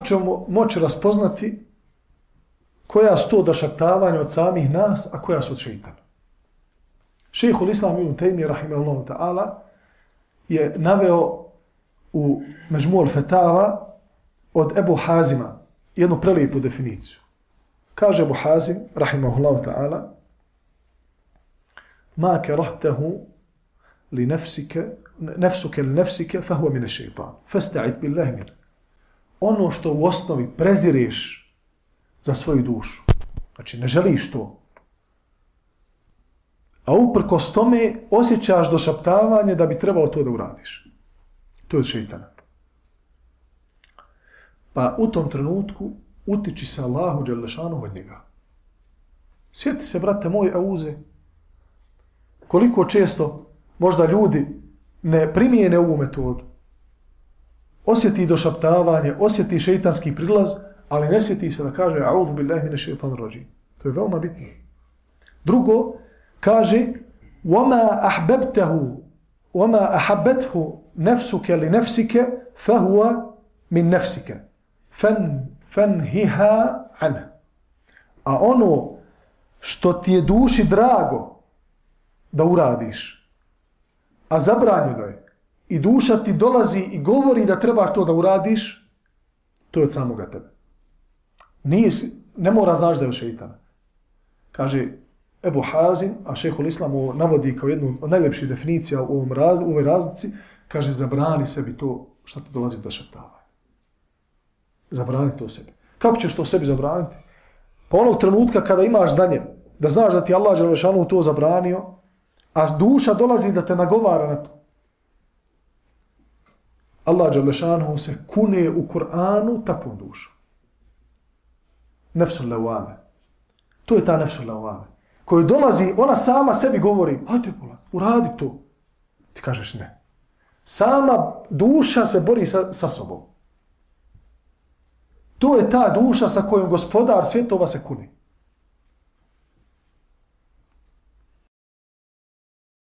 ćemo moći raspoznati koja su to došaptavanja od samih nas, a koja su od šeitana. Šejhul Islam ibn Tejmije, rahimahullahu ta'ala, je naveo u Međmu'ul Fetava od Ebu Hazima jednu prelijepu definiciju. Kaže Ebu Hazim, rahimahullahu ta'ala, ma kerahtahu li nefsuke li nefsike, fahuva mine šeitan. Fasta'id billahi min. Ono što u osnovi prezireš za svoju dušu. Znači, ne želiš to. A uprkos tome osjećaš došaptavanje da bi trebao to da uradiš. To je od šeitana. Pa u tom trenutku utiči se Allahu dželešanu od njega. Sjeti se, brate moj, auze, koliko često možda ljudi ne primijene ovu metodu. Osjeti došaptavanje, osjeti šeitanski prilaz, ali ne sjeti se da kaže a'udhu billahi mine šeitan rođim. To je veoma bitno. Drugo, kaže وَمَا أَحْبَبْتَهُ وَمَا أَحَبَّتْهُ نَفْسُكَ لِنَفْسِكَ فَهُوَ مِنْ نَفْسِكَ فَنْهِهَا عَنْهَ. A ono što ti je duši drago da uradiš, a zabranjeno je, i duša ti dolazi i govori da trebaš to da uradiš, to je od samoga tebe. Ne mora znaš da je od šeitana. Kaže Ebu Hazim, a šejhul Islam navodi kao jednu od najljepših definicija u ovoj razlici, kaže zabrani sebi to što ti dolazi do šaptavanja. Zabrani to sebi. Kako ćeš to sebi zabraniti? Pa onog trenutka kada imaš znanje, da znaš da ti Allah dželešanu to zabranio, a duša dolazi da te nagovara na to. Allah dželešanu se kune u Kur'anu takvom dušom. Nefsul lawame. To je ta nefsul lawame. Koju dolazi, ona sama sebi govori, hajde pola, uradi to. Ti kažeš ne. Sama duša se bori sa sobom. To je ta duša sa kojom gospodar svjetova se kune.